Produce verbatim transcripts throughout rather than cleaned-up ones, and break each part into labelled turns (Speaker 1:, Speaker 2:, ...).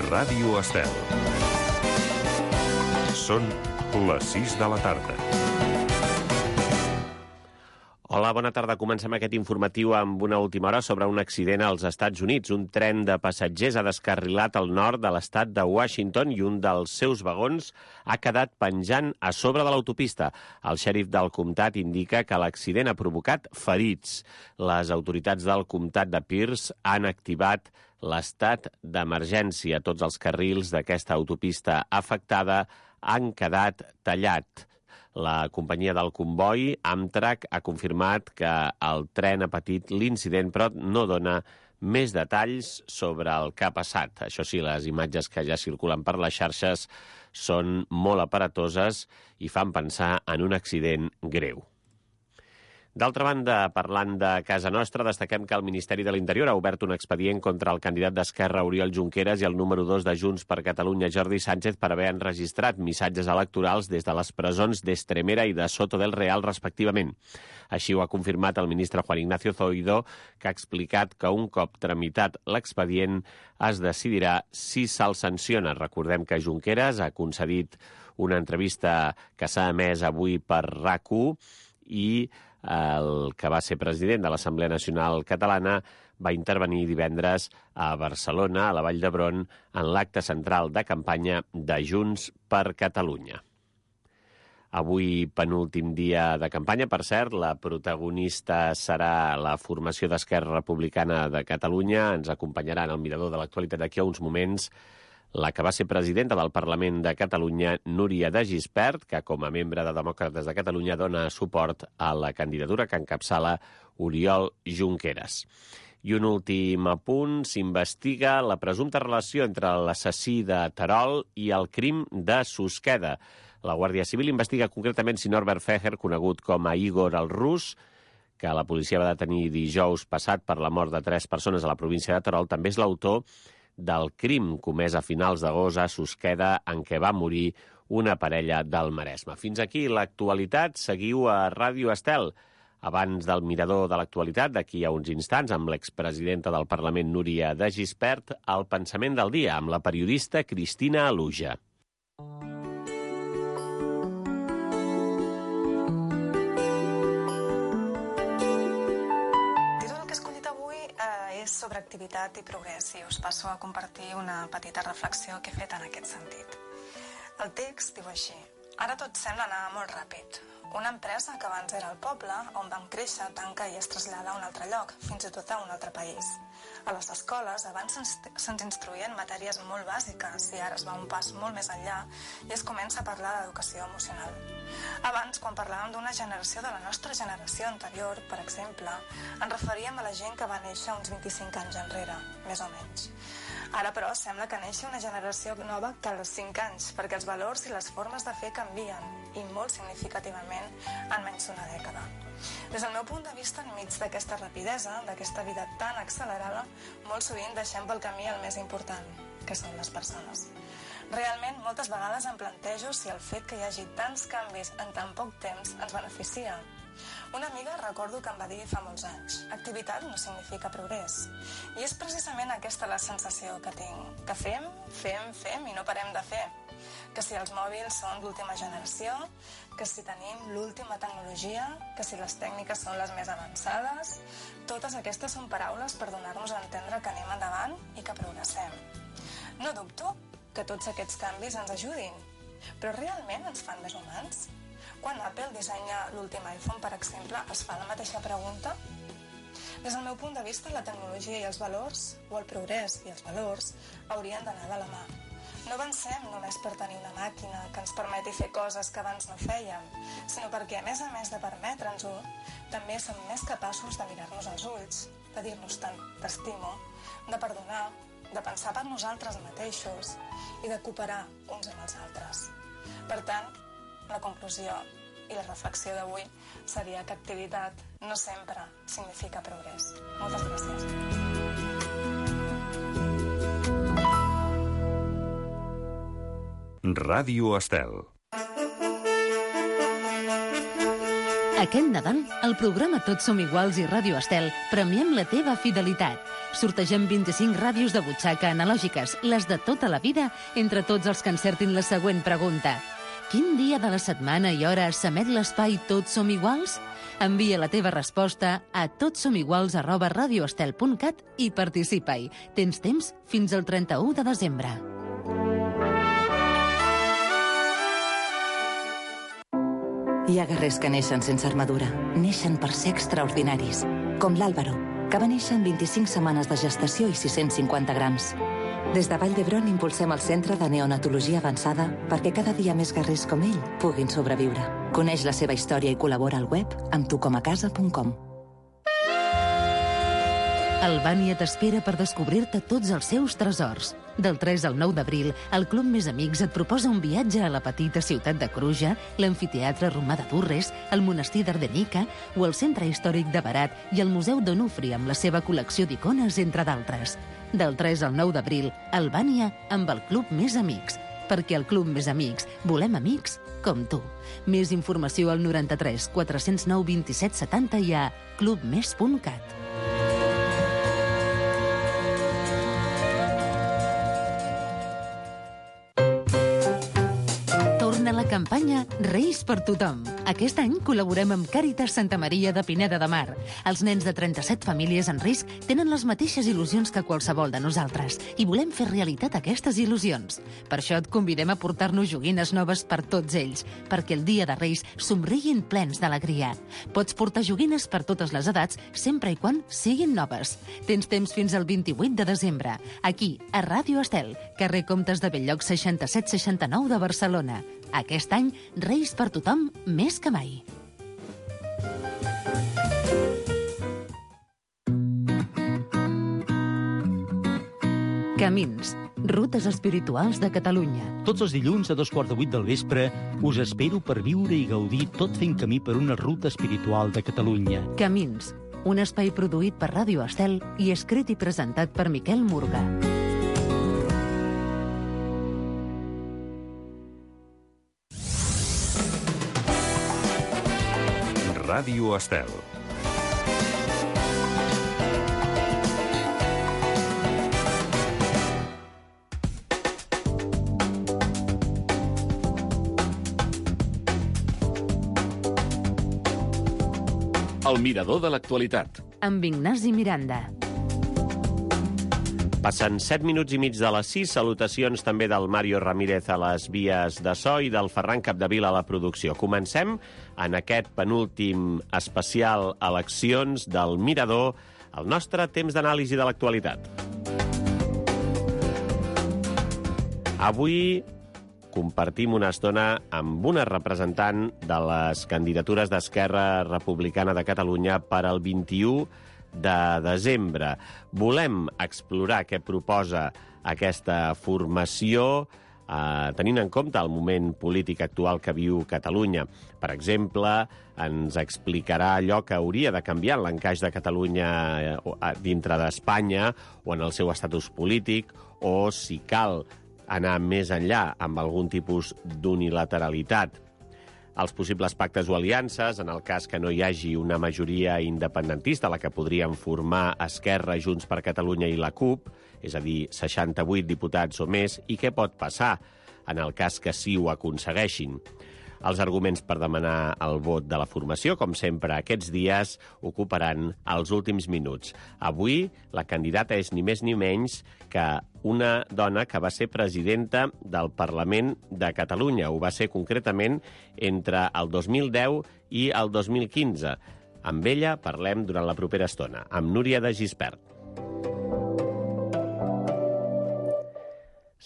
Speaker 1: Ràdio Estel. Són les sis de la tarda.
Speaker 2: Hola, bona tarda. Comencem aquest informatiu amb una última hora sobre un accident als Estats Units. Un tren de passatgers ha descarrilat al nord de l'estat de Washington i un dels seus vagons ha quedat penjant a sobre de l'autopista. El xèrif del comtat indica que l'accident ha provocat ferits. Les autoritats del comtat de Pierce han activat l'estat d'emergència. Tots els carrils d'aquesta autopista afectada han quedat tallats. La companyia del comboi, Amtrak, ha confirmat que el tren ha patit l'incident, però no dona més detalls sobre el que ha passat. Això sí, les imatges que ja circulen per les xarxes són molt aparatoses i fan pensar en un accident greu. D'altra banda, parlant de casa nostra, destaquem que el Ministeri de l'Interior ha obert un expedient contra el candidat d'Esquerra, Oriol Junqueras, i el número dos de Junts per Catalunya, Jordi Sánchez, per haver enregistrat missatges electorals des de les presons d'Estremera i de Soto del Real, respectivament. Així ho ha confirmat el ministre Juan Ignacio Zoido, que ha explicat que un cop tramitat l'expedient es decidirà si se'l sanciona. Recordem que Junqueras ha concedit una entrevista que s'ha emès avui per RAC1 i el que va ser president de l'Assemblea Nacional Catalana va intervenir divendres a Barcelona, a la Vall d'Hebron, en l'acte central de campanya de Junts per Catalunya. Avui, penúltim dia de campanya, per cert, la protagonista serà la formació d'Esquerra Republicana de Catalunya. Ens acompanyarà en el mirador de l'actualitat d'aquí a uns moments la que va ser presidenta del Parlament de Catalunya, Núria de Gispert, que com a membre de Demòcrates de Catalunya dona suport a la candidatura que encapçala Oriol Junqueras. I un últim apunt, s'investiga la presumpta relació entre l'assassí de Terol i el crim de Susqueda. La Guàrdia Civil investiga concretament si Norbert Feher, conegut com a Igor el Rus, que la policia va detenir dijous passat per la mort de tres persones a la província de Terol, també és l'autor del crim comès a finals d'agost a Susqueda, en què va morir una parella del Maresme. Fins aquí l'actualitat. Seguiu a Ràdio Estel. Abans del mirador de l'actualitat, d'aquí a uns instants, amb l'expresidenta del Parlament, Núria de Gispert, el pensament del dia, amb la periodista Cristina Aluja.
Speaker 3: Sobre activitat i progrés, i us passo a compartir una petita reflexió que he fet en aquest sentit. El text diu així: ara tot sembla anar molt ràpid. Una empresa que abans era el poble, on vam créixer, tanca i es trasllada a un altre lloc, fins i tot a un altre país. A les escoles abans se'ns instruïen matèries molt bàsiques i ara es va un pas molt més enllà i es comença a parlar d'educació emocional. Abans, quan parlàvem d'una generació de la nostra generació anterior, per exemple, ens referíem a la gent que va néixer uns vint-i-cinc anys enrere, més o menys. Ara, però, sembla que neixi una generació nova cada cinc anys, perquè els valors i les formes de fer canvien, i molt significativament en menys d'una dècada. Des del meu punt de vista, enmig d'aquesta rapidesa, d'aquesta vida tan accelerada, molt sovint deixem pel camí el més important, que són les persones. Realment, moltes vegades em plantejo si el fet que hi hagi tants canvis en tan poc temps ens beneficia. Una amiga recordo que em va dir fa molts anys: activitat no significa progrés. I és precisament aquesta la sensació que tinc, que fem, fem, fem i no parem de fer. Que si els mòbils són l'última generació, que si tenim l'última tecnologia, que si les tècniques són les més avançades... Totes aquestes són paraules per donar-nos a entendre que anem endavant i que progressem. No dubto que tots aquests canvis ens ajudin, però realment ens fan més humans? Quan Apple dissenya l'últim iPhone, per exemple, es fa la mateixa pregunta? Des del meu punt de vista, la tecnologia i els valors, o el progrés i els valors, haurien d'anar de la mà. No avancem només per tenir una màquina que ens permeti fer coses que abans no fèiem, sinó perquè, a més a més de permetre'ns-ho, també som més capaços de mirar-nos als ulls, de dir-nos tant t'estimo, de perdonar, de pensar per nosaltres mateixos i de cooperar uns amb els altres. Per tant, la conclusió i la reflexió d'avui seria que activitat no sempre significa progrés. Moltes gràcies.
Speaker 1: Ràdio Estel.
Speaker 4: Aquest Nadal, al programa Tots som iguals i Ràdio Estel premiem la teva fidelitat. Sortegem vint-i-cinc ràdios de butxaca analògiques, les de tota la vida, entre tots els que encertin la següent pregunta. Quin dia de la setmana i hora s'emet l'espai Tots som iguals? Envia la teva resposta a totsomiguals arroba radioestel punt cat i participa-hi. Tens temps fins al trenta-u de desembre.
Speaker 5: Hi ha guerrers que neixen sense armadura. Neixen per ser extraordinaris. Com l'Àlvaro, que va néixer amb vint-i-cinc setmanes de gestació i sis-cents cinquanta grams. Des de Vall d'Hebron impulsem el Centre de Neonatologia Avançada perquè cada dia més guerrers com ell puguin sobreviure. Coneix la seva història i col·labora al web amb tucomacasa punt com.
Speaker 4: Albània t'espera per descobrir-te tots els seus tresors. Del tres al nou d'abril, el Club Més Amics et proposa un viatge a la petita ciutat de Cruja, l'amfiteatre romà de Durres, el monestir d'Ardenica o el centre històric de Berat i el Museu d'Onufri amb la seva col·lecció d'icones, entre d'altres. Del tres al nou d'abril, Albània amb el Club Més Amics. Perquè al Club Més Amics volem amics com tu. Més informació al noranta-tres quatre-cents nou vint-i-set setanta i a clubmes punt cat. La campanya Reis per tothom. Aquest any col·laborem amb Càritas Santa Maria de Pineda de Mar. Els nens de trenta-set famílies en risc tenen les mateixes il·lusions que qualsevol de nosaltres i volem fer realitat aquestes il·lusions. Per això et convidem a portar-nos joguines noves per tots ells, perquè el dia de Reis somriguin plens d'alegria. Pots portar joguines per totes les edats, sempre i quan siguin noves. Tens temps fins al vint-i-vuit de desembre, aquí, a Ràdio Estel, carrer Comtes de Belllloc seixanta-set seixanta-nou de Barcelona. Aquest any, Reis per tothom més que mai. Camins, rutes espirituals de Catalunya.
Speaker 6: Tots els dilluns a dos quarts de vuit del vespre us espero per viure i gaudir tot fent camí per una ruta espiritual de Catalunya.
Speaker 4: Camins, un espai produït per Ràdio Estel i escrit i presentat per Miquel Murga.
Speaker 1: Ràdio Estel.
Speaker 7: El mirador de l'actualitat.
Speaker 4: Amb Ignasi Miranda.
Speaker 2: Passen set minuts i mig de les sis. Salutacions també del Mario Ramírez a les vies de so i del Ferran Capdevila a la producció. Comencem en aquest penúltim especial eleccions del Mirador, el nostre temps d'anàlisi de l'actualitat. Avui compartim una estona amb una representant de les candidatures d'Esquerra Republicana de Catalunya per al vint-i-u de desembre. Volem explorar què proposa aquesta formació eh, tenint en compte el moment polític actual que viu Catalunya. Per exemple, ens explicarà allò que hauria de canviar en l'encaix de Catalunya dintre d'Espanya o en el seu estatus polític, o si cal anar més enllà amb algun tipus d'unilateralitat. Els possibles pactes o aliances, en el cas que no hi hagi una majoria independentista, la que podrien formar Esquerra, Junts per Catalunya i la CUP, és a dir, seixanta-vuit diputats o més, i què pot passar en el cas que sí ho aconsegueixin. Els arguments per demanar el vot de la formació, com sempre aquests dies, ocuparan els últims minuts. Avui la candidata és ni més ni menys que una dona que va ser presidenta del Parlament de Catalunya. Ho va ser concretament entre el dos mil deu i el dos mil quinze. Amb ella parlem durant la propera estona, amb Núria de Gispert.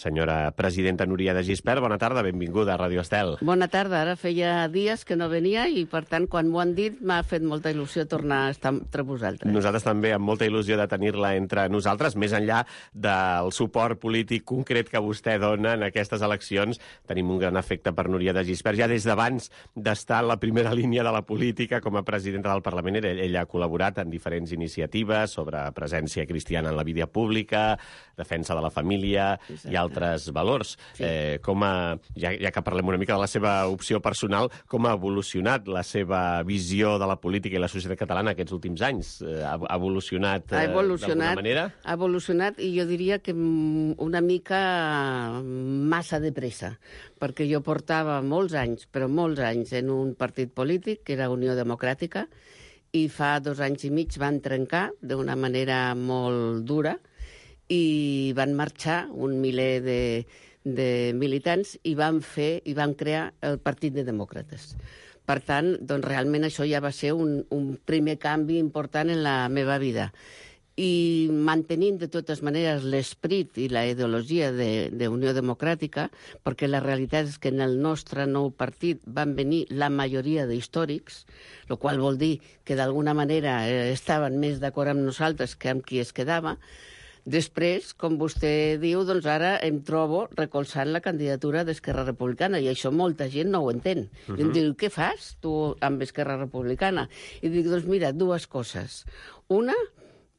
Speaker 2: Senyora presidenta Núria de Gispert, bona tarda, benvinguda a Ràdio Estel.
Speaker 8: Bona tarda, ara feia dies que no venia i, per tant, quan m'ho han dit, m'ha fet molta il·lusió tornar a estar entre vosaltres.
Speaker 2: Nosaltres també, amb molta il·lusió de tenir-la entre nosaltres, més enllà del suport polític concret que vostè dona en aquestes eleccions. Tenim un gran afecte per Núria de Gispert. Ja des d'abans d'estar en la primera línia de la política com a presidenta del Parlament, ella ha col·laborat en diferents iniciatives sobre presència cristiana en la vida pública, defensa de la família i altres altres valors.
Speaker 8: Sí.
Speaker 2: Eh, com a, ja, ja que parlem una mica de la seva opció personal, com ha evolucionat la seva visió de la política i la societat catalana aquests últims anys? Eh, ha, ha evolucionat, eh,
Speaker 8: ha evolucionat
Speaker 2: d'alguna manera?
Speaker 8: Ha evolucionat i jo diria que una mica massa de pressa, perquè jo portava molts anys, però molts anys, en un partit polític, que era Unió Democràtica, i fa dos anys i mig van trencar d'una manera molt dura i van marxar un miler de, de militants i van fer i van crear el Partit de Demòcrates. Per tant, doncs, realment això ja va ser un, un primer canvi important en la meva vida. I mantenint de totes maneres l'esperit i la ideologia de, de Unió Democràtica, perquè la realitat és que en el nostre nou partit van venir la majoria d'històrics, el qual vol dir que d'alguna manera eh, estaven més d'acord amb nosaltres que amb qui es quedava. Després, com vostè diu, doncs ara em trobo recolzant la candidatura d'Esquerra Republicana, i això molta gent no ho entén. Uh-huh. I em diu, què fas tu amb Esquerra Republicana? I dic, doncs mira, dues coses. Una,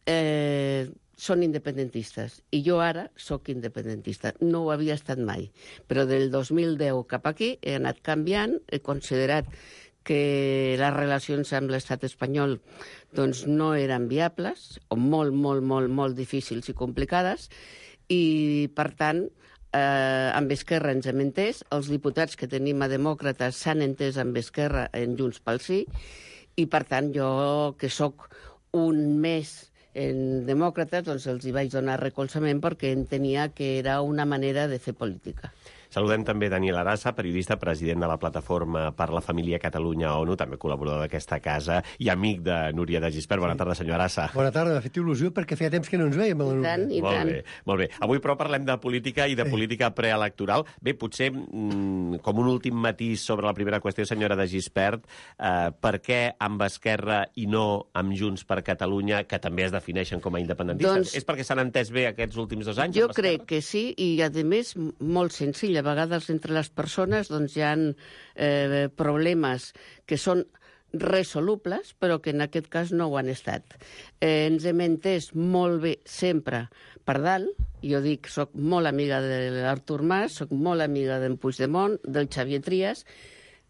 Speaker 8: eh, són independentistes, i jo ara sóc independentista. No ho havia estat mai, però del dos mil deu cap aquí he anat canviant, he considerat que les relacions amb l'estat espanyol doncs, no eren viables, o molt, molt, molt, molt difícils i complicades, i, per tant, eh, amb Esquerra ens hem entès, els diputats que tenim a Demòcrates s'han entès amb Esquerra en Junts pel Sí, i, per tant, jo, que sóc un mes en Demòcrates, doncs els hi vaig donar recolzament perquè entenia que era una manera de fer política.
Speaker 2: Saludem també Daniel Arasa, periodista, president de la Plataforma per la Família Catalunya-ONU, també col·laborador d'aquesta casa i amic de Núria de Gispert. Bona tarda, senyor Arasa.
Speaker 9: Bona tarda, m'ha fet il·lusió perquè feia temps que no ens veiem.
Speaker 8: I tant, i
Speaker 2: molt
Speaker 8: tant.
Speaker 2: Bé, molt bé. Avui, però, parlem de política i de política preelectoral. Bé, potser, mmm, com un últim matís sobre la primera qüestió, senyora de Gispert, eh, per què amb Esquerra i no amb Junts per Catalunya, que també es defineixen com a independentistes?
Speaker 8: Doncs,
Speaker 2: és perquè s'han entès bé aquests últims dos anys?
Speaker 8: Jo crec que sí, i a més, molt senzill. A vegades entre les persones doncs, hi ha eh, problemes que són resolubles, però que en aquest cas no ho han estat. Eh, ens hem entès molt bé sempre per dalt. Jo dic, soc molt amiga de l'Artur Mas, soc molt amiga d'en Puigdemont, del Xavier Trias.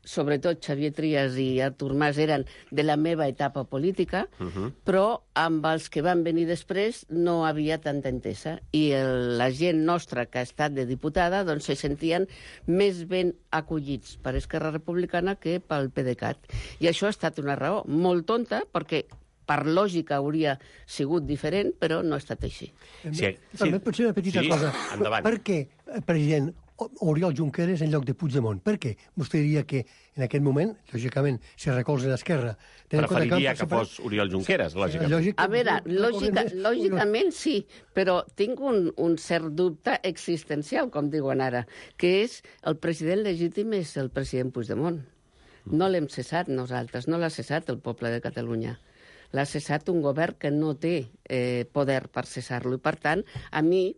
Speaker 8: Sobretot Xavier Trias i Artur Mas eren de la meva etapa política, uh-huh. però amb els que van venir després no havia tanta entesa. I el, la gent nostra que ha estat de diputada doncs se sentien més ben acollits per Esquerra Republicana que pel PDeCAT. I això ha estat una raó molt tonta, perquè per lògica hauria sigut diferent, però no ha estat així.
Speaker 9: Sí, sí. També pot ser una petita
Speaker 2: sí,
Speaker 9: cosa.
Speaker 2: Endavant.
Speaker 9: Per què, president, Oriol Junqueras en lloc de Puigdemont? Per què? Vostè diria que en aquest moment, lògicament, si recolza l'esquerra...
Speaker 2: Preferiria que, que fos Oriol Junqueras, lògicament.
Speaker 9: Lògic,
Speaker 8: a veure, lògica, lògicament sí, però tinc un, un cert dubte existencial, com diuen ara, que és el president legítim és el president Puigdemont. No l'hem cessat nosaltres, no l'ha cessat el poble de Catalunya. L'ha cessat un govern que no té eh, poder per cessar-lo. I, per tant, a mi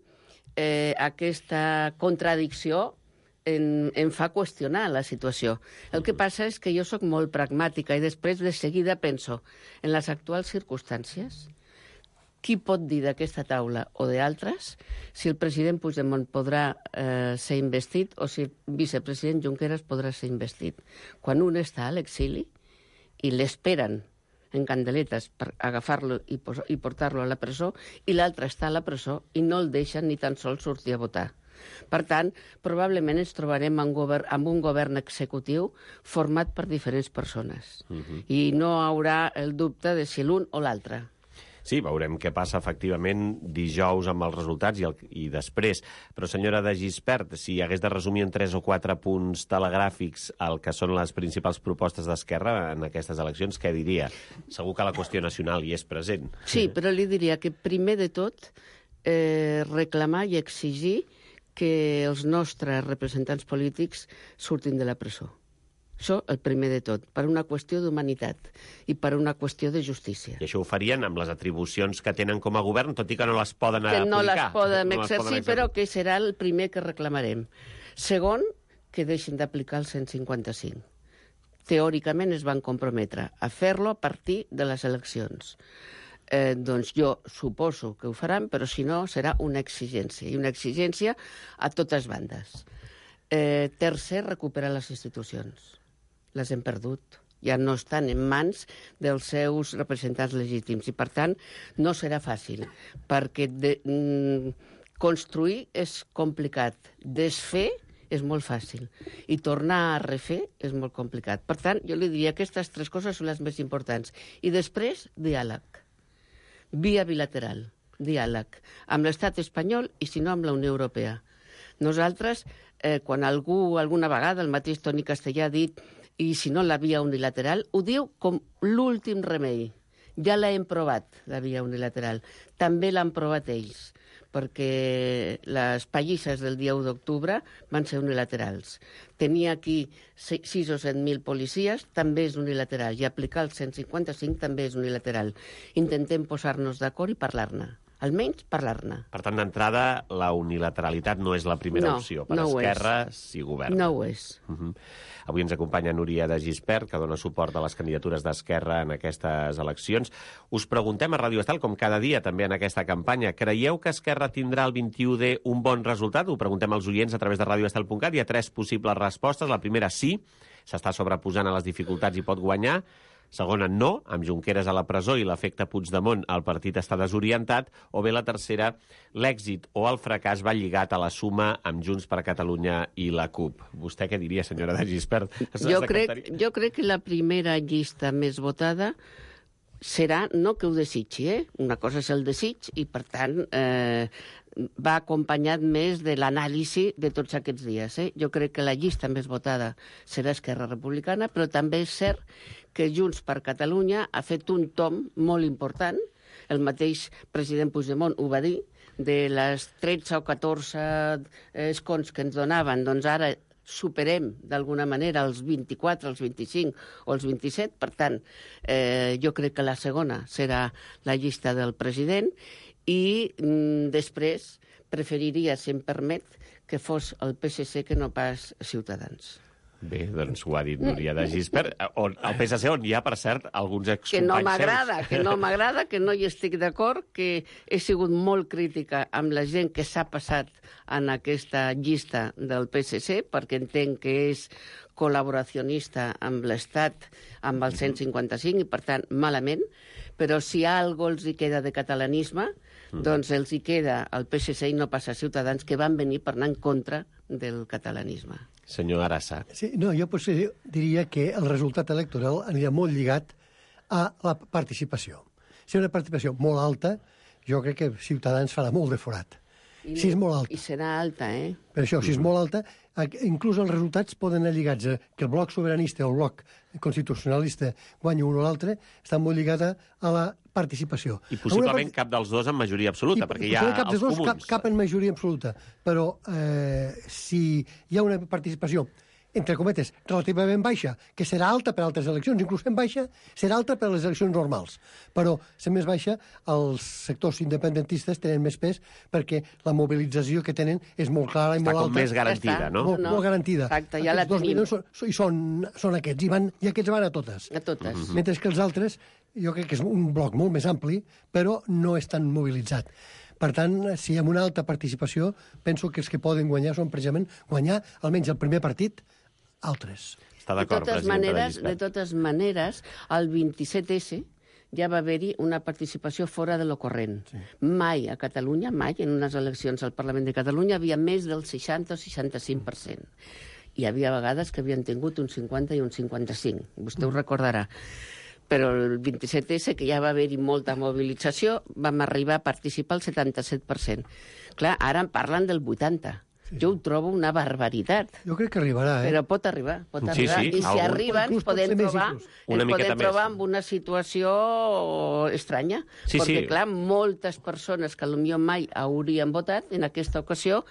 Speaker 8: eh, aquesta contradicció em, em fa qüestionar la situació. El que passa és que jo sóc molt pragmàtica i després de seguida penso en les actuals circumstàncies. Qui pot dir d'aquesta taula o d'altres si el president Puigdemont podrà eh, ser investit o si el vicepresident Junqueras podrà ser investit? Quan un està a l'exili i l'esperen en candeletes per agafar-lo i, i portar-lo a la presó, i l'altre està a la presó i no el deixen ni tan sols sortir a votar. Per tant, probablement ens trobarem amb, govern, amb un govern executiu format per diferents persones. Uh-huh. I no haurà el dubte de si l'un o l'altre.
Speaker 2: Sí, veurem què passa efectivament dijous amb els resultats i, el, i després. Però, senyora de Gispert, si hagués de resumir en tres o quatre punts telegràfics el que són les principals propostes d'Esquerra en aquestes eleccions, què diria? Segur que la qüestió nacional hi és present.
Speaker 8: Sí, però li diria que primer de tot eh, reclamar i exigir que els nostres representants polítics surtin de la presó. Això, el primer de tot, per una qüestió d'humanitat i per una qüestió de justícia.
Speaker 2: I això ho farien amb les atribucions que tenen com a govern, tot i que no les poden
Speaker 8: que
Speaker 2: aplicar.
Speaker 8: No les poden
Speaker 2: no
Speaker 8: exercir,
Speaker 2: les poden
Speaker 8: però que serà el primer que reclamarem. Segon, que deixin d'aplicar el cent cinquanta-cinc. Teòricament es van comprometre a fer-lo a partir de les eleccions. eh, doncs jo suposo que ho faran, però si no serà una exigència, i una exigència a totes bandes. Eh, tercer, recuperar les institucions. Les hem perdut. Ja no estan en mans dels seus representants legítims i, per tant, no serà fàcil, perquè de, mm, construir és complicat, desfer és molt fàcil i tornar a refer és molt complicat. Per tant, jo li diria que aquestes tres coses són les més importants. I després, diàleg. Via bilateral, diàleg, amb l'estat espanyol i, si no, amb la Unió Europea. Nosaltres, eh, quan algú, alguna vegada, el mateix Toni Castellà ha dit i si no la via unilateral, ho diu com l'últim remei. Ja l'hem provat, la via unilateral. També l'han provat ells, perquè les pallisses del dia u d'octubre van ser unilaterals. Tenir aquí sis o set mil policies també és unilateral, i aplicar el cent cinquanta-cinc també és unilateral. Intentem posar-nos d'acord i parlar-ne. Almenys parlar-ne.
Speaker 2: Per tant, d'entrada, la unilateralitat no és la primera
Speaker 8: no,
Speaker 2: opció. Per
Speaker 8: no
Speaker 2: Esquerra, si governa.
Speaker 8: No ho és.
Speaker 2: Uh -huh. Avui ens acompanya Núria de Gispert, que dona suport a les candidatures d'Esquerra en aquestes eleccions. Us preguntem a Ràdio Estel, com cada dia també en aquesta campanya, creieu que Esquerra tindrà el vint-i-u de un bon resultat? Ho preguntem als oients a través de radio estel punt cat. Hi ha tres possibles respostes. La primera, sí, s'està sobreposant a les dificultats i pot guanyar. Segona, no, amb Junqueras a la presó i l'efecte Puigdemont el partit està desorientat. O bé la tercera, l'èxit o el fracàs va lligat a la suma amb Junts per Catalunya i la CUP. Vostè què diria, senyora de Gispert?
Speaker 8: Jo crec, jo crec que la primera llista més votada serà, no que ho desitgi, eh? Una cosa és el desig i, per tant, eh, va acompanyat més de l'anàlisi de tots aquests dies. Eh? Jo crec que la llista més votada serà Esquerra Republicana, però també és cert que Junts per Catalunya ha fet un tom molt important. El mateix president Puigdemont ho va dir, de les tretze o catorze escons que ens donaven, doncs ara superem d'alguna manera els vint-i-quatre, els vint-i-cinc o els vint-i-set. Per tant, eh, jo crec que la segona serà la llista del president i mm, després preferiria, si em permet, que fos el P S C que no pas Ciutadans.
Speaker 2: Bé, doncs ho ha dit Núria de Gispert. On, el P S C on hi ha, per cert, alguns excompanys
Speaker 8: que no m'agrada,
Speaker 2: seus.
Speaker 8: que no m'agrada, que no hi estic d'acord, que he sigut molt crítica amb la gent que s'ha passat en aquesta llista del P S C, perquè entenc que és col·laboracionista amb l'Estat, amb el cent cinquanta-cinc, i per tant, malament. Però si algo els hi queda de catalanisme, mm. doncs els hi queda el P S C i no passa a Ciutadans, que van venir per anar en contra del catalanisme.
Speaker 2: Senyor Arassa.
Speaker 9: Sí, no, jo potser diria que el resultat electoral anirà molt lligat a la participació. Si una participació molt alta, jo crec que Ciutadans farà molt de forat.
Speaker 8: I,
Speaker 9: si és molt alta.
Speaker 8: I serà alta, eh?
Speaker 9: Per això, si és molt alta, inclús els resultats poden anar lligats a que el bloc sobiranista o el bloc constitucionalista guanyi un o l'altre, està molt lligada a la participació.
Speaker 2: I possiblement part... cap dels dos en majoria absoluta, I, perquè hi ha
Speaker 9: cap
Speaker 2: els
Speaker 9: dos,
Speaker 2: comuns.
Speaker 9: Cap, cap en majoria absoluta, però eh, si hi ha una participació entre cometes, relativament baixa, que serà alta per altres eleccions, inclús en baixa, serà alta per les eleccions normals. Però, sent més baixa, els sectors independentistes tenen més pes perquè la mobilització que tenen és molt clara i
Speaker 2: Està
Speaker 9: molt alta.
Speaker 2: Està com més garantida, no?
Speaker 9: Molt,
Speaker 8: no.
Speaker 9: molt garantida.
Speaker 8: Exacte, ja la
Speaker 9: Aquests dos
Speaker 8: tenim.
Speaker 9: milions són, i són, són aquests, i, van, i aquests van a totes.
Speaker 8: A totes.
Speaker 2: Mm-hmm.
Speaker 9: Mentre que els altres, jo crec que és un bloc molt més ampli, però no és tan mobilitzat. Per tant, si hi ha una alta participació, penso que els que poden guanyar són precisament guanyar almenys el primer partit, altres.
Speaker 2: Està
Speaker 8: De
Speaker 2: d'acord,
Speaker 8: totes,
Speaker 2: presidenta de
Speaker 8: maneres, de
Speaker 2: Gispert.
Speaker 8: totes maneres, el vint-i-set esse ja va haver-hi una participació fora de lo corrent. Sí. Mai a Catalunya, mai, en unes eleccions al Parlament de Catalunya, havia més del seixanta o seixanta-cinc per cent. Hi havia vegades que havien tingut un cinquanta i un cinquanta-cinc. Vostè ho recordarà. Però el vint-i-set esse, que ja va haver-hi molta mobilització, vam arribar a participar al setanta-set per cent. Clar, ara en parlen del vuitanta. Sí. Jo ho trobo una barbaritat.
Speaker 9: Jo crec que arribarà, eh?
Speaker 8: Però pot arribar, pot
Speaker 2: Sí,
Speaker 8: arribar.
Speaker 2: sí,
Speaker 8: I si
Speaker 2: algun-
Speaker 8: arriben,
Speaker 9: inclús pot
Speaker 8: podem
Speaker 9: ser més,
Speaker 8: trobar,
Speaker 9: inclús.
Speaker 2: Una
Speaker 8: ens
Speaker 2: miqueta
Speaker 8: podem trobar
Speaker 2: més.
Speaker 8: amb una situació estranya.
Speaker 2: Sí,
Speaker 8: perquè,
Speaker 2: sí.
Speaker 8: clar, moltes persones que potser mai haurien votat, en aquesta ocasió,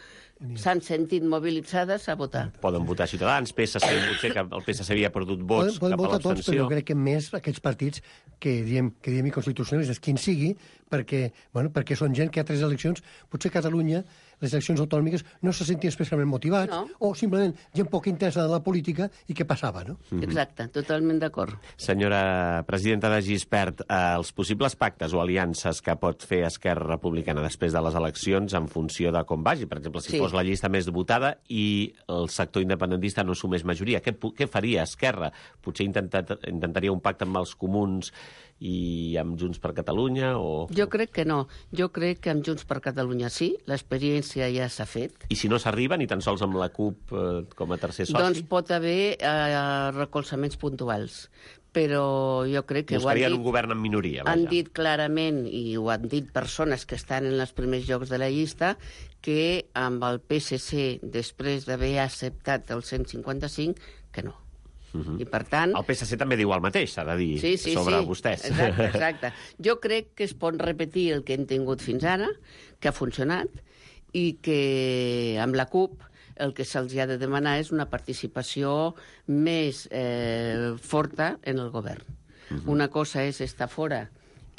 Speaker 8: s'han sentit mobilitzades a votar.
Speaker 2: Poden votar Ciutadans, P S C, potser que el P S C havia perdut vots
Speaker 9: Poden, poden
Speaker 2: cap a
Speaker 9: votar tots, però
Speaker 2: l'abstenció.
Speaker 9: jo crec que més aquests partits que diem, que diem inconstitucionalistes, quin sigui, perquè, bueno, perquè són gent que a tres eleccions, potser a Catalunya, les eleccions autonòmiques, no se sentien especialment motivats,
Speaker 8: No.
Speaker 9: o simplement gent poc intensa de la política i què passava, no?
Speaker 8: Exacte, totalment d'acord.
Speaker 2: Senyora presidenta de Gispert, eh, els possibles pactes o aliances que pot fer Esquerra Republicana després de les eleccions en funció de com vagi, per exemple, si
Speaker 8: Sí.
Speaker 2: fos la llista més votada i el sector independentista no sumés majoria, què, pu- què faria Esquerra? Potser intentat, intentaria un pacte amb els comuns i amb Junts per Catalunya? O...
Speaker 8: Jo crec que no. Jo crec que amb Junts per Catalunya sí, l'experiència ja s'ha fet.
Speaker 2: I si no s'arriba, ni tan sols amb la CUP eh, com a tercer soci?
Speaker 8: Doncs pot haver eh, recolzaments puntuals. Però jo crec que ho han
Speaker 2: Buscarien
Speaker 8: dit,
Speaker 2: un govern en minoria, vaja.
Speaker 8: han dit clarament, i ho han dit persones que estan en els primers llocs de la llista, que amb el P S C, després d'haver acceptat el cent cinquanta-cinc, que no.
Speaker 2: Mhm.
Speaker 8: I per tant...
Speaker 2: El P S C també diu el mateix, s'ha de dir,
Speaker 8: Sí, sí,
Speaker 2: sobre
Speaker 8: sí.
Speaker 2: vostès.
Speaker 8: Exacte, exacte. Jo crec que es pot repetir el que hem tingut fins ara, que ha funcionat, i que amb la CUP el que se'ls ha de demanar és una participació més eh, forta en el govern. Uh-huh. Una cosa és estar fora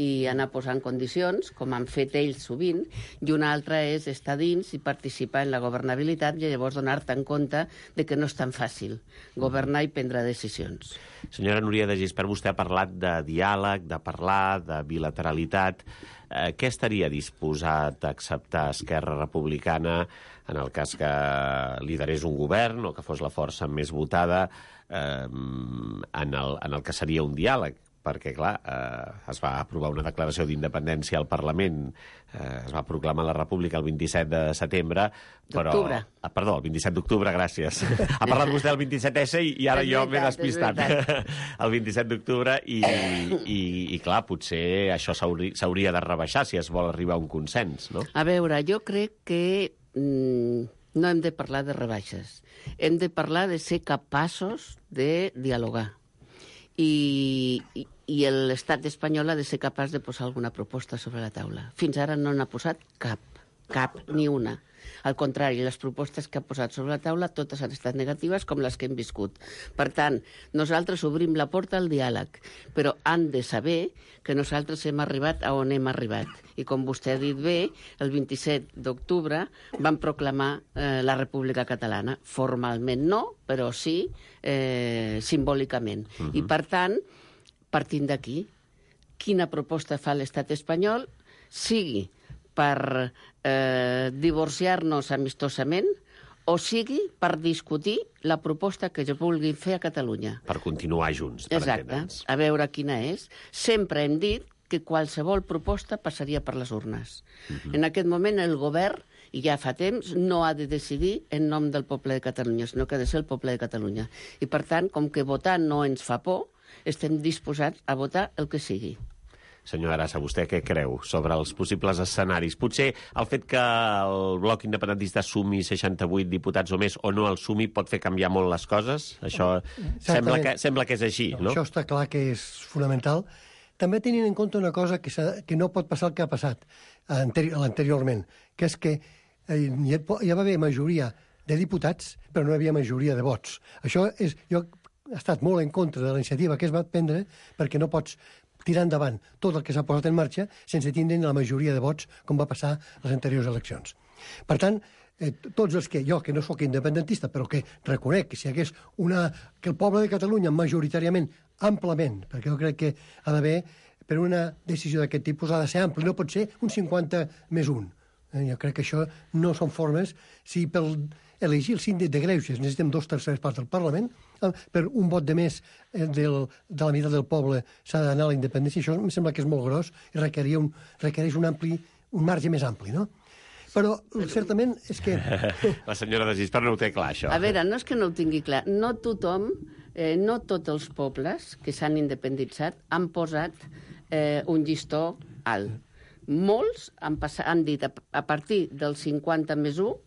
Speaker 8: i anar posant condicions, com han fet ells sovint, i una altra és estar dins i participar en la governabilitat i llavors donar-te en compte de que no és tan fàcil governar i prendre decisions.
Speaker 2: Senyora Núria de Gispert, vostè ha parlat de diàleg, de parlar, de bilateralitat. Eh, què estaria disposat a acceptar Esquerra Republicana en el cas que liderés un govern o que fos la força més votada eh, en, el, en el que seria un diàleg? Perquè, clar, eh, es va aprovar una declaració d'independència al Parlament, eh, es va proclamar la República el vint-i-set de setembre, però...
Speaker 8: D'octubre.
Speaker 2: Ah, perdó, el vint-i-set d'octubre, gràcies. Ha parlat vostè del vint-i-set essa i, i ara
Speaker 8: És
Speaker 2: jo m'he
Speaker 8: veritat, és
Speaker 2: despistat.
Speaker 8: veritat.
Speaker 2: El vint-i-set d'octubre i, i, i, clar, potser això s'hauri- s'hauria de rebaixar si es vol arribar a un consens, no?
Speaker 8: A veure, jo crec que mm, no hem de parlar de rebaixes. Hem de parlar de ser capaços de dialogar. I, i, i l'estat espanyol ha de ser capaç de posar alguna proposta sobre la taula. Fins ara no n'ha posat cap, cap, ni una. Al contrari, les propostes que ha posat sobre la taula totes han estat negatives com les que hem viscut. Per tant, nosaltres obrim la porta al diàleg, però han de saber que nosaltres hem arribat a on hem arribat. I com vostè ha dit bé, el vint-i-set d'octubre van proclamar eh, la República Catalana. Formalment no, però sí eh, simbòlicament. Uh-huh. I per tant, partint d'aquí, quina proposta fa l'estat espanyol, sigui per eh, divorciar-nos amistosament o sigui per discutir la proposta que jo vulgui fer a Catalunya.
Speaker 2: Per continuar junts, per
Speaker 8: Exacte,
Speaker 2: entendre'ns.
Speaker 8: a veure quina és. Sempre hem dit que qualsevol proposta passaria per les urnes. Uh-huh. En aquest moment el govern, i ja fa temps, no ha de decidir en nom del poble de Catalunya, sinó que ha de ser el poble de Catalunya. I per tant, com que votar no ens fa por, estem disposats a votar el que sigui.
Speaker 2: Senyor Arassa, vostè què creu sobre els possibles escenaris? Potser el fet que el bloc independentista sumi seixanta-vuit diputats o més o no el sumi pot fer canviar molt les coses? Això sembla que, sembla que és així, no?
Speaker 9: Això està clar que és fonamental. També tenint en compte una cosa que, que no pot passar el que ha passat anteri anteriorment, que és que eh, hi va haver majoria de diputats, però no hi havia majoria de vots. Això és... Jo he estat molt en contra de la iniciativa que es va prendre perquè no pots tirar endavant tot el que s'ha posat en marxa sense tindre la majoria de vots com va passar a les anteriors eleccions. Per tant, eh, tots els que, jo que no sóc independentista, però que reconec que si hi hagués una... que el poble de Catalunya majoritàriament, amplament, perquè jo crec que ha d'haver, per una decisió d'aquest tipus ha de ser ampli, no pot ser un cinquanta més un. Eh, jo crec que això no són formes... Si per elegir el síndic de Greuges necessitem dos terceres parts del Parlament, eh, per un vot de més eh, del, de la meitat del poble s'ha d'anar a la independència, això em sembla que és molt gros i requeria un, requereix un, ampli, un marge més ampli, no? Però, certament, és que...
Speaker 2: La senyora de Gispert no ho té clar, això.
Speaker 8: A veure, no és que no ho tingui clar. No tothom, eh, no tots els pobles que s'han independitzat han posat eh, un llistó alt. Molts han, passat, han dit a, a partir del cinquanta més un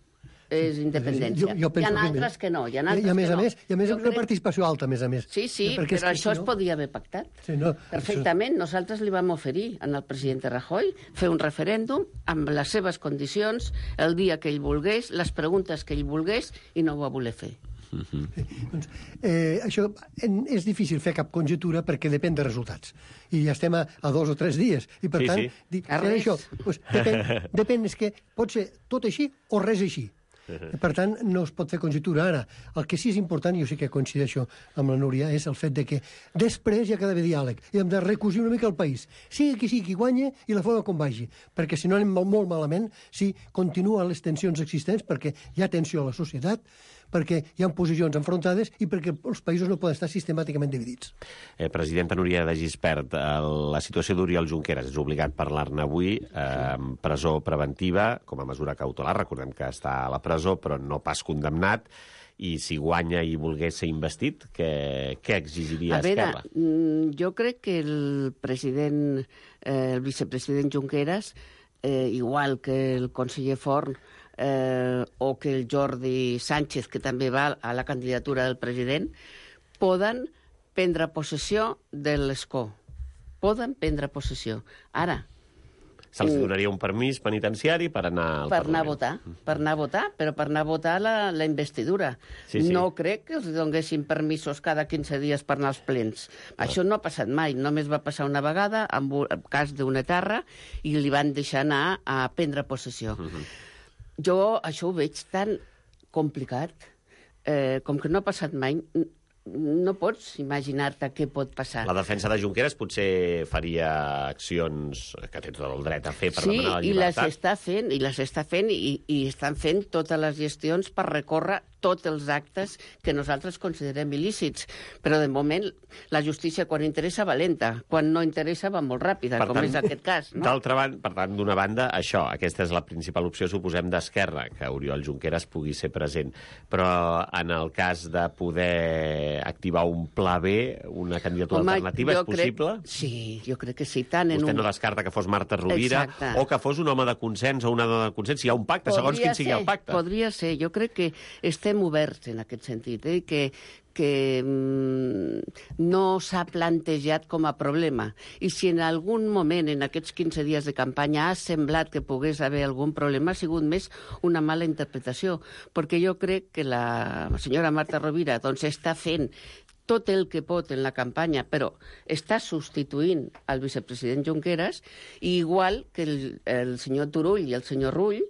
Speaker 8: és independència.
Speaker 9: Jo, jo
Speaker 8: hi ha
Speaker 9: que
Speaker 8: altres que no. Hi ha altres
Speaker 9: I a més
Speaker 8: que
Speaker 9: a
Speaker 8: no.
Speaker 9: més, i a més
Speaker 8: Jo
Speaker 9: una
Speaker 8: crec...
Speaker 9: participació alta, a més a més.
Speaker 8: Sí, sí,
Speaker 9: Perquè
Speaker 8: però
Speaker 9: és que
Speaker 8: això
Speaker 9: si
Speaker 8: es
Speaker 9: no...
Speaker 8: podia haver pactat.
Speaker 9: Sí, no,
Speaker 8: Perfectament. Això... Nosaltres li vam oferir al president Rajoy fer un referèndum amb les seves condicions, el dia que ell volgués, les preguntes que ell volgués, i no ho va voler fer.
Speaker 9: Eh, doncs, eh, això en, és difícil fer cap conjectura perquè depèn de resultats. I ja estem a, a dos o tres dies. I per
Speaker 2: Sí,
Speaker 9: tant,
Speaker 2: sí.
Speaker 9: Di,
Speaker 8: A
Speaker 9: per
Speaker 8: res.
Speaker 9: això, doncs, depèn, depèn, és que pot ser tot així o res així. Per tant, no es pot fer conjectura ara. El que sí és important, i jo sí que coincideixo amb la Núria, és el fet de que després hi ha d'haver diàleg i hem de recosir una mica el país. Sigui qui sigui qui guanya i la forma com vagi. Perquè si no anem molt, molt malament, si continuen les tensions existents, perquè hi ha tensió a la societat, perquè hi ha posicions enfrontades i perquè els països no poden estar sistemàticament dividits.
Speaker 2: Eh, presidenta Núria de Gispert, eh, la situació d'Oriol Junqueras, és obligat parlar-ne avui, eh, presó preventiva, com a mesura cautelar, recordem que està a la presó, però no pas condemnat, i si guanya i volgués ser investit, què, què exigiria
Speaker 8: A veure,
Speaker 2: Esquerra?
Speaker 8: mm, jo crec que el president, eh, el vicepresident Junqueras, eh, igual que el conseller Forn, eh, o que el Jordi Sánchez, que també va a la candidatura del president, poden prendre possessió de l'escó. Poden prendre possessió. Ara,
Speaker 2: Se'ls donaria un permís penitenciari per anar al
Speaker 8: per anar a
Speaker 2: Parlament.
Speaker 8: votar, per anar a votar, però per anar a votar la, la investidura.
Speaker 2: Sí, sí.
Speaker 8: No crec que els donguessin permisos cada quinze dies per anar als plens. Això no ha passat mai, només va passar una vegada en el cas d'una terra i li van deixar anar a prendre possessió. Jo això ho veig tan complicat, eh, com que no ha passat mai, n- no pots imaginar-te què pot passar.
Speaker 2: La defensa de Junqueras potser faria accions que té tot el dret a fer per
Speaker 8: Sí,
Speaker 2: demanar la
Speaker 8: i les
Speaker 2: llibertat.
Speaker 8: està fent, i les està fent, i, i estan fent totes les gestions per recórrer tots els actes que nosaltres considerem il·lícits. Però, de moment, la justícia, quan interessa, va lenta. Quan no interessa, va molt ràpida, com és aquest cas. No?
Speaker 2: D'altra banda, per tant, d'una banda, això, aquesta és la principal opció, suposem, d'Esquerra, que Oriol Junqueras pugui ser present. Però en el cas de poder activar un pla B, una candidatura
Speaker 8: Home,
Speaker 2: alternativa,
Speaker 8: jo
Speaker 2: és possible?
Speaker 8: Crec, sí, jo crec que sí. Tant en
Speaker 2: Vostè
Speaker 8: un...
Speaker 2: no descarta que fos Marta Rovira
Speaker 8: Exacte.
Speaker 2: o que fos un home de consens o una dona de consens. Si hi ha un pacte, segons
Speaker 8: Podria
Speaker 2: quin sigui
Speaker 8: ser,
Speaker 2: el pacte.
Speaker 8: Podria ser. Jo crec que estem oberts en aquest sentit, eh? que, que mm, no s'ha plantejat com a problema. I si en algun moment, en aquests quinze dies de campanya, ha semblat que pogués haver algun problema, ha sigut més una mala interpretació, perquè jo crec que la senyora Marta Rovira doncs, està fent tot el que pot en la campanya, però està substituint el vicepresident Junqueras, i igual que el, el senyor Turull i el senyor Rull,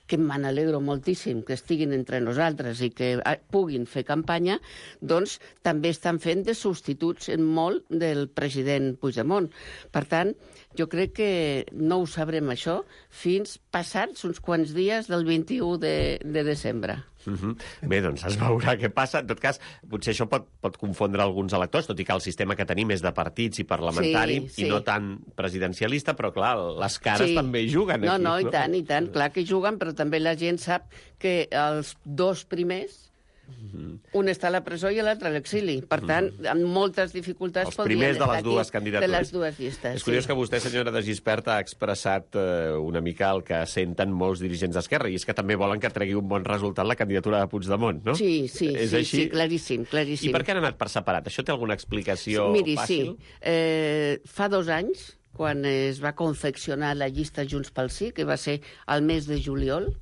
Speaker 8: que me n'alegro moltíssim que estiguin entre nosaltres i que ah, puguin fer campanya, doncs també estan fent de substituts en molt del president Puigdemont. Per tant, jo crec que no ho sabrem això fins passats uns quants dies del vint-i-u de, de desembre.
Speaker 2: Uh -huh. Bé, doncs es veurà què passa. En tot cas, potser això pot, pot confondre alguns electors, tot i que el sistema que tenim és de partits i parlamentari,
Speaker 8: Sí, sí.
Speaker 2: i no tan presidencialista, però clar, les cares
Speaker 8: Sí.
Speaker 2: també hi juguen
Speaker 8: No,
Speaker 2: aquí.
Speaker 8: no, i tant, i tant. Clar que juguen, però també la gent sap que els dos primers, un està a la presó i l'altre a l'exili. Per tant, amb moltes dificultats
Speaker 2: Els
Speaker 8: podrien
Speaker 2: primers de
Speaker 8: estar
Speaker 2: les
Speaker 8: aquí,
Speaker 2: dues candidatures.
Speaker 8: De les dues llistes,
Speaker 2: És curiós
Speaker 8: sí.
Speaker 2: que vostè, senyora de Gispert, ha expressat eh, una mica el que senten molts dirigents d'Esquerra, i és que també volen que tregui un bon resultat la candidatura de Puigdemont, no?
Speaker 8: Sí, sí,
Speaker 2: és
Speaker 8: sí,
Speaker 2: així?
Speaker 8: sí, claríssim, claríssim.
Speaker 2: I per què han anat per separat? Això té alguna explicació
Speaker 8: Miri,
Speaker 2: fàcil?
Speaker 8: sí. Eh, fa dos anys, quan es va confeccionar la llista Junts pel Sí, que va ser al mes de juliol,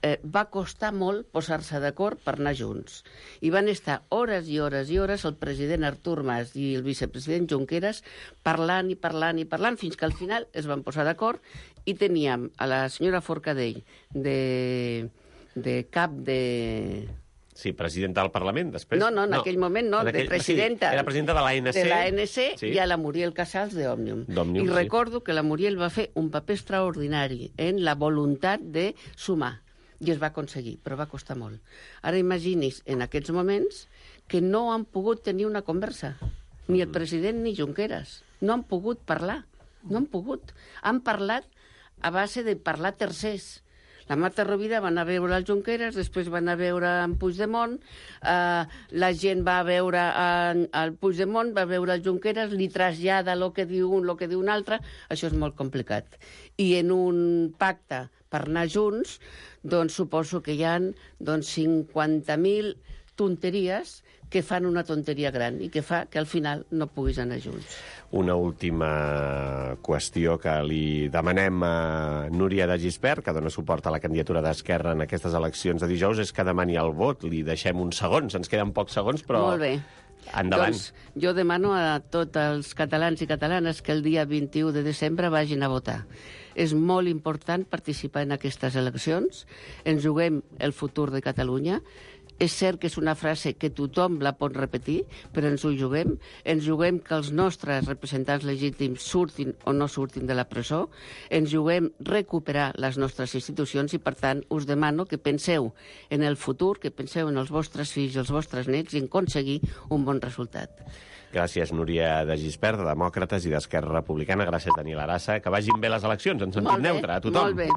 Speaker 8: eh, va costar molt posar-se d'acord per anar junts. I van estar hores i hores i hores el president Artur Mas i el vicepresident Junqueras parlant i parlant i parlant, fins que al final es van posar d'acord i teníem a la senyora Forcadell de, de cap de...
Speaker 2: Sí, presidenta del Parlament, després...
Speaker 8: No, no, en aquell moment no,
Speaker 2: En
Speaker 8: de presidenta.
Speaker 2: Sí, era presidenta de l'A N C.
Speaker 8: De l'A N C
Speaker 2: Sí.
Speaker 8: i a la Muriel Casals d'Òmnium.
Speaker 2: d'Òmnium,
Speaker 8: I
Speaker 2: sí.
Speaker 8: recordo que la Muriel va fer un paper extraordinari en la voluntat de sumar. I es va aconseguir, però va costar molt. Ara imagini's, en aquests moments, que no han pogut tenir una conversa. Ni el president ni Junqueras. No han pogut parlar. No han pogut. Han parlat a base de parlar tercers. La Marta Rovira va anar a veure el Junqueras, després va anar a veure en Puigdemont, eh, la gent va a veure en, el Puigdemont, va a veure el Junqueras, li trasllada el que diu un, el que diu un altre, això és molt complicat. I en un pacte per anar junts, doncs suposo que hi ha doncs, cinquanta mil tonteries que fan una tonteria gran i que fa que al final no puguis anar junts.
Speaker 2: Una última qüestió que li demanem a Núria de Gispert, que dona suport a la candidatura d'Esquerra en aquestes eleccions de dijous, és que demani el vot. Li deixem uns segons, ens queden pocs segons, però...
Speaker 8: Molt bé.
Speaker 2: Endavant.
Speaker 8: Doncs jo demano a tots els catalans i catalanes que el dia vint-i-u de desembre vagin a votar. És molt important participar en aquestes eleccions. Ens juguem el futur de Catalunya. És cert que és una frase que tothom la pot repetir, però ens ho juguem. Ens juguem que els nostres representants legítims surtin o no surtin de la presó. Ens juguem recuperar les nostres institucions i, per tant, us demano que penseu en el futur, que penseu en els vostres fills i els vostres nets i en aconseguir un bon resultat.
Speaker 2: Gràcies, Núria de Gispert, de Demòcrates i d'Esquerra Republicana. Gràcies, Daniel Arassa. Que vagin bé les eleccions, en sentit neutre, a tothom.
Speaker 8: Molt bé.